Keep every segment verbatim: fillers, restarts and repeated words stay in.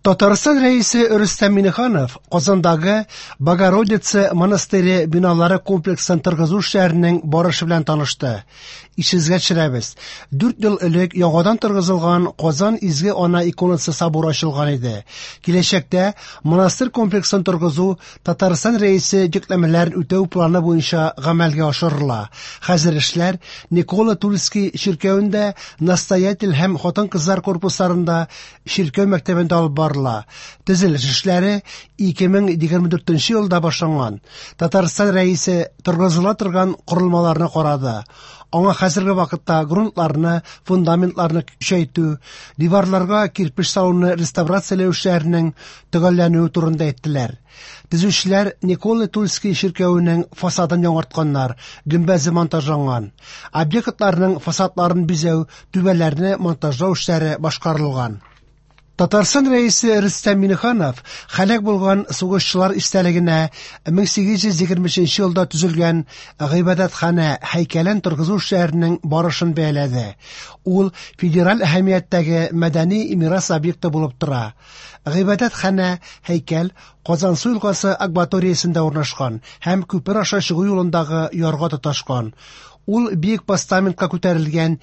Татарстан Рәисе Рөстәм Миңнеханов Казандагы Богородица монастыре биналары комплексын торгызу эшләренең барышы белән танышты. Исегезгә төшерәбез, дүрт ел элек яңадан торгызылган Казан Изге Ана иконасы соборы ачылган иде. Киләчәктә монастырь комплексын торгызу Татарстан Рәисе йөкләмәләрен үтәү планы буенча гамәлгә ашырыла. Хәзер эшләр Никола Тульский чиркәвендә, настоятель һәм хатын-кызлар корпусларында, чиркәү мәктәбендә алып барыла. Төзелеш эшләре ике мең егерме дүртенче елда башланган. Татарстан Рәисе торгызыла торган корылмаларны карады. Аңа хәзерге вакытта грунтларны, фундаментларны көчәйтү, диварларга кирпеч салуны реставрацияләү эшләренең төгәлләнүе турында әйттеләр. Төзүчеләр Никола Тульский чиркәвенең фасадын яңартканнар, гөмбәзе монтажланган. Объектларның фасадларын бизәү, түбәләрне монтажлау эшләре башкарылган. Татарстан Рәисе Рөстәм Миңнеханов һәлак булган сугышчылар истәлегенә мең сигез йөз егерме өченче елда төзелгән гыйбадәтханә һәйкәлен торгызу эшләренең барышын бәяләде. Ул федераль әһәмияттәге мәдәни мирас объекты булып тора. Гыйбадәтханә һәйкәл Казансу елгасы акваториясендә урнашкан һәм күпер аша чыгу юлындагы ярга тоташкан. Ул биек постаментка күтәрелгән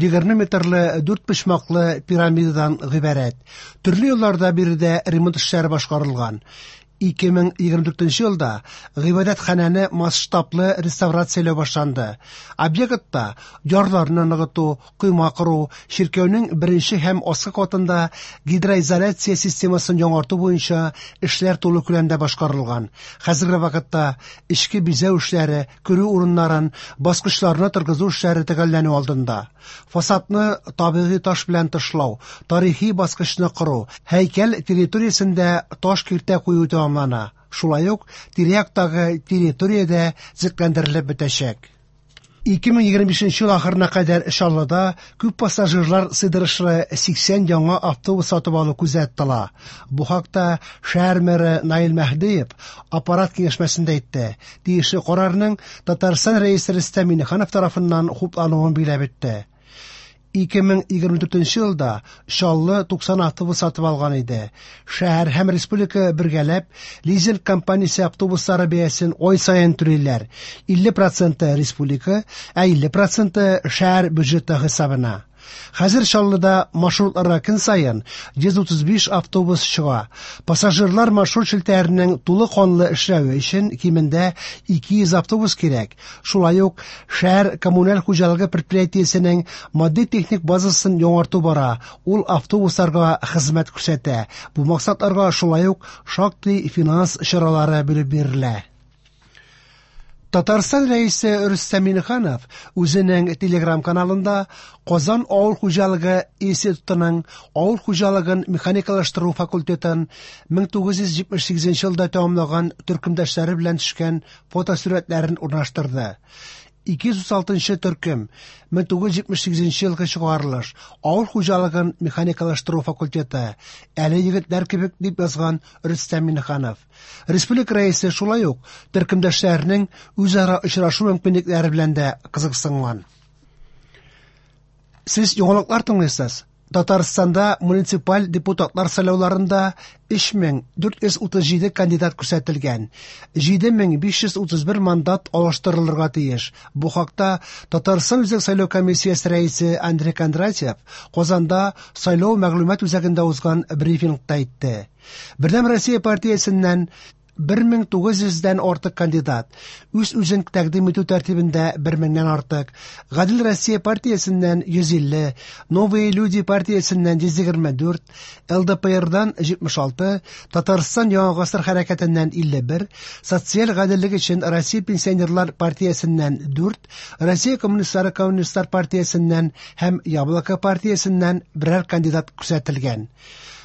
егерме метрлы дүрт почмаклы пирамидадан гыйбарәт. Төрле елларда биредә ремонт эшләре башкарылган. Ике мең егерме дүртенче елда гыйбадәтханәне масштаблы реставрацияләү башланды. Объектта ярларны ныгыту, койма кору, чиркәүнең беренче һәм аскы катында гидроизоляция системасын яңарту буенча эшләр тулы күләмдә башкарылган. Хәзерге вакытта эчке бизәү эшләре, керү урыннарын, баскычларны торгызу эшләре төгәлләнү алдында. Фасадны табигый таш белән тышлау, тарихи баскычны кору, һәйкәл территориясендә таш киртә кую тәмамлана. Шулай ук тирә-яктагы территориядә төзекләндерелеп бетәчәк. Ике мең егерме бишенче ел ахырына кадәр Чаллыда күп пассажирлар сыйдырышлы сиксән яңа автобус сатып алу күздә тотыла. Бу хакта шәһәр мэры Наил Мәһдиев аппарат киңәшмәсендә әйтте. Тиешле карарның Татарстан Рәисе Рөстәм Миңнеханов тарафыннан хуплануын билгеләп үтте. Ике мең егерме дүртенче елда Чаллы туксан автобус сатып алган иде. Шәһәр һәм республика бергәләп лизинг компаниясе автобуслары бәясен ай саен түлиләр. Илле проценты республика, ә илле проценты шәһәр бюджеты хисабына. Хәзер Чаллыда маршрутларга көн саен йөз утыз биш автобус чыга. Пассажирлар маршрут челтәренең тулы канлы эшләве өчен кимендә ике йөз автобус кирәк. Шулай ук шәһәр коммуналь хуҗалыгы предприятиесенең матди-техник базасын яңарту бара. Ул автобусларга хезмәт күрсәтә. Бу максатларга шулай ук шактый финанс чаралары бүлеп бирелә. Татарстан Рәисе Рөстәм Миңнеханов үзенең Телеграм каналында Казан авыл хуҗалыгы институтының авыл хуҗалыгын механикалаштыру факультетын мең тугыз йөз җитмеш сигезенче елда тәмамлаган төркемдәшләре белән төшкән фотосурәтләрен урнаштырды. Ике йөз утыз алтынчы төркем мең тугыз йөз җитмеш сигезенче елгы чыгарылыш авыл хуҗалыгын механикалаштыру факультеты әле егетләр кебек дип язган Рөстәм Миңнеханов. Республика рәисе шулай ук төркемдәшләренең үзара очрашу мөмкинлекләре белән дә кызыксынган. Сез яңалыклар тыңлыйсыз. Татарстанда муниципаль депутатлар сайлауларында өч мең дүрт йөз утыз җиде кандидат күрсәтелгән. Җиде мең биш йөз утыз бер мандат алыштырылырга тиеш. Бу хакта Татарстан Үзәк сайлау комиссиясе рәисе Андрей Кондратьев Казанда сайлау мәгълүмат үзәгендә узган брифингта әйтте. Бердәм Россия партиясеннән бер мең тугыз йөздән артык кандидат, үз-үзен тәкъдим итү тәртибендә бер меңнән артык, Гадел Россия партиясеннән йөз илле, Новые люди партиясеннән йөз егерме дүрт, Л Д П Рдан җитмеш алты, Татарстан Яңа гасыр хәрәкәтеннән илле бер, Социаль гаделлек өчен Россия пенсионерлар партиясеннән дүрт, Россия коммунистлары коммунистлар партиясеннән һәм Яблоко партиясеннән берәр кандидат күрсәтелгән.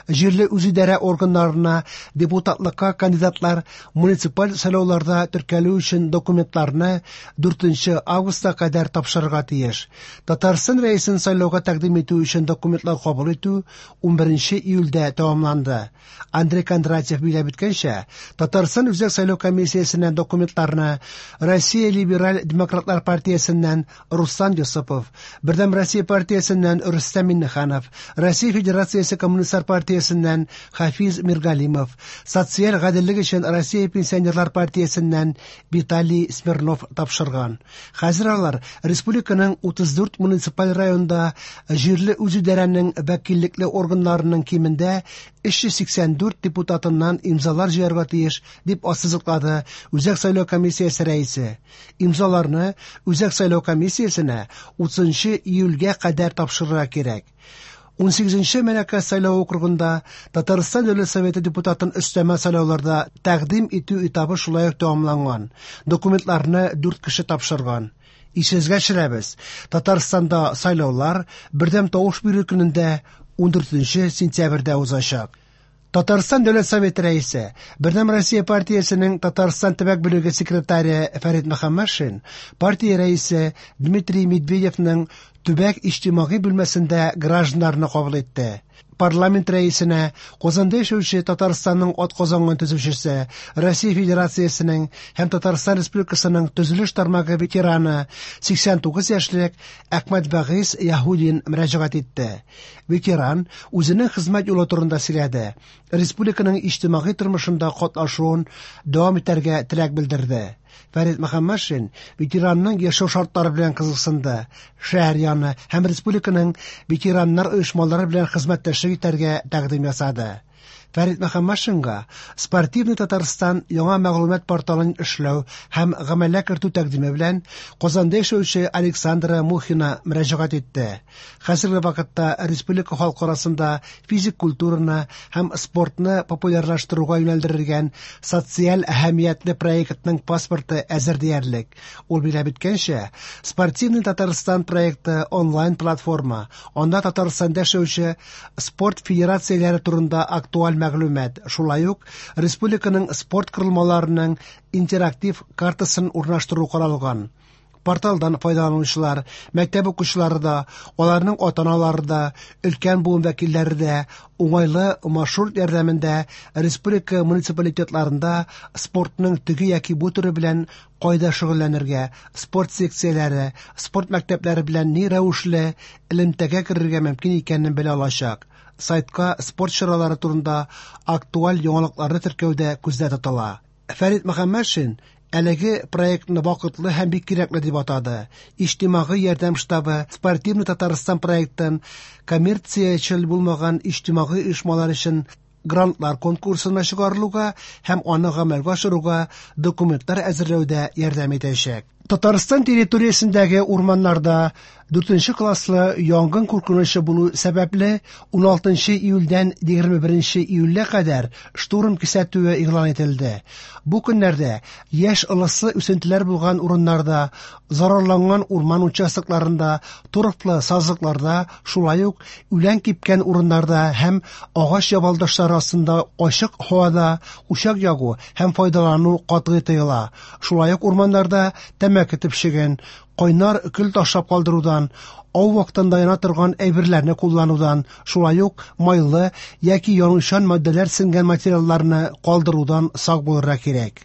Җирле үзидарә органнарына депутатлыкка кандидатлар муниципаль сайлауларда теркәлү өчен документларны дүртенче августка кадәр тапшырырга тиеш. Татарстан рәисен сайлауга тәкъдим итү өчен документлар кабул итү унберенче июльдә тәмамланды. Андрей Кондратьев билгеләп үткәнчә, Татарстан Үзәк сайлау комиссиясеннән документларны Россия либераль демократлар партиясеннән Руслан Йосыпов, Бердәм Россия партиясеннән Рөстәм Миңнеханов, Россия Федерациясе коммунистлар партиясеннән партиясеннән Хафиз Миргалимов, Социаль гаделлек өчен Россия пенсионерлар партиясеннән Виталий Смирнов тапшырган. Хәзер алар республиканың утыз дүрт муниципаль районында җирле үзидарәнең вәкиллекле органнарының кимендә өч йөз сиксән дүрт депутатыннан имзалар җыярга тиеш, дип ассызыклады Үзәк сайлау комиссиясе рәисе. Имзаларны Үзәк сайлау комиссиясенә утызынчы июльгә кадәр тапшырырга кирәк. Унсигезенче Мәләкәс сайлау округында Татарстан Дәүләт Советы депутатын өстәмә сайлауларда тәкъдим итү этабы шулай ук тәмамланган. Документларны дүрт кеше тапшырган. Исегезгә төшерәбез, Татарстанда сайлаулар бердәм тавыш бирү көнендә ундүртенче сентябрьдә узачак. Татарстан Дәүләт Советы рәисе, Бердәм Россия партиясенең Татарстан төбәк бүлеге секретаре Фәрит Мөхәммәтшин, партия рәисе Дмитрий Медведевның төбәк иҗтимагый бүлмәсендә гражданнарны кабул итте. Парламент рәисенә Казанда яшәүче Татарстанның атказанган төзүчесе, Россия Федерациясенең һәм Татарстан Республикасының төзелеш тармагы ветераны сиксән тугыз яшьлек Әхмәт Вагиз Яһудин мөрәҗәгать итте. Ветеран үзенең хезмәт юлы турында сөйләде. Республиканың иҗтимагый тормышында катнашуын дәвам итәргә теләк белдерде. Фәрит Мөхәммәтшин ветеранның яшәү шартлары белән кызыксынды. Шәһәр яны һәм республиканың ветераннар оешмалары белән хезмәттәшлек итәргә тәкъдим ясады. Фәрит Мөхәммәтшинга Спортивный Татарстан яңа мәгълүмат порталын эшләү һәм гамәлгә кертү тәкъдиме белән Казанда яшәүче Александра Мухина мөрәҗәгать итте. Хәзерге вакытта республика халкы арасында физик культураны һәм спортны популярлаштыруга юнәлдерелгән социаль әһәмиятле проектның паспорты әзер диярлек. Ул билгеләп үткәнчә, Спортивный Татарстан проекты онлайн платформа, анда Татарстанда яшәүче спорт федерацияләре турында актуаль мәгълүмат, шулай ук республиканың спорт корылмаларының интерактив картасын урнаштыру каралган. Порталдан файдаланучылар, мәктәп укучылары да, аларның ата-аналары да, өлкән буын вәкилләре дә уңайлы маршрут ярдәмендә республика муниципалитетларында спортның теге яки бу төре белән кайда шөгыльләнергә, спорт секцияләре, спорт мәктәпләре белән ни рәвешле элемтәгә керергә мөмкин икәнен белә алачак. Сайтка спорт чаралары турында актуаль яңалыкларны теркәү дә күздә тотыла. Фәрит Мөхәммәтшин әлеге проектны вакытлы һәм бик кирәкле дип атады. Иҗтимагый ярдәм штабы Спортивный Татарстан проектын коммерциячел булмаган иҗтимагый оешмалар өчен грантлар конкурсына чыгарылуга һәм аны гамәлгә ашыруга документлар әзерләүдә ярдәм итәчәк. Татарстан территориясендәге урманнарда дүртенче класслы янгын куркынычы булу сәбәпле уналтынчы июльдән егерме беренче июльгә кадәр штурм кисәтүе игълан ителде. Бу көннәрдә яшь ылыслы үсентеләр булган урыннарда, зарарланган урман участокларында, торфлы сазлыкларда, шулай ук үлән кипкән урыннарда һәм агач ябалдашлары астында ачык һавада учак ягу һәм файдалану катгый тыела. Шулай ук урманнарда тәмәке төпчеген, кайнар көл ташлап калдырудан, ау вакытында яна торган әйберләрне кулланудан, шулай ук майлы яки янучан матдәләр сеңгән материалларны калдырудан сак булырга кирәк.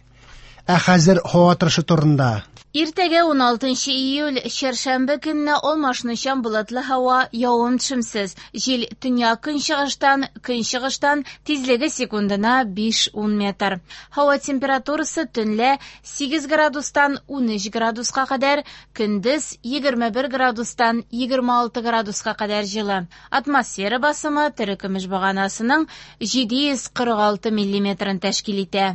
Ә хәзер һава торышы турында. Иртәгә уналтынчы июль, чәршәмбе көнне алмашынучан болытлы һава, явым-төшемсез. Җил төньяк көнчыгыштан, көнчыгыштан, тизлеге секундына биш-ун метр. Һава температурасы төнлә сигез градустан унөч градуска кадәр, көндез егерме бер градустан егерме алты градуска кадәр җылы. Атмосфера басымы терекөмеш баганасының җиде йөз кырык алты миллиметрын тәшкил итә.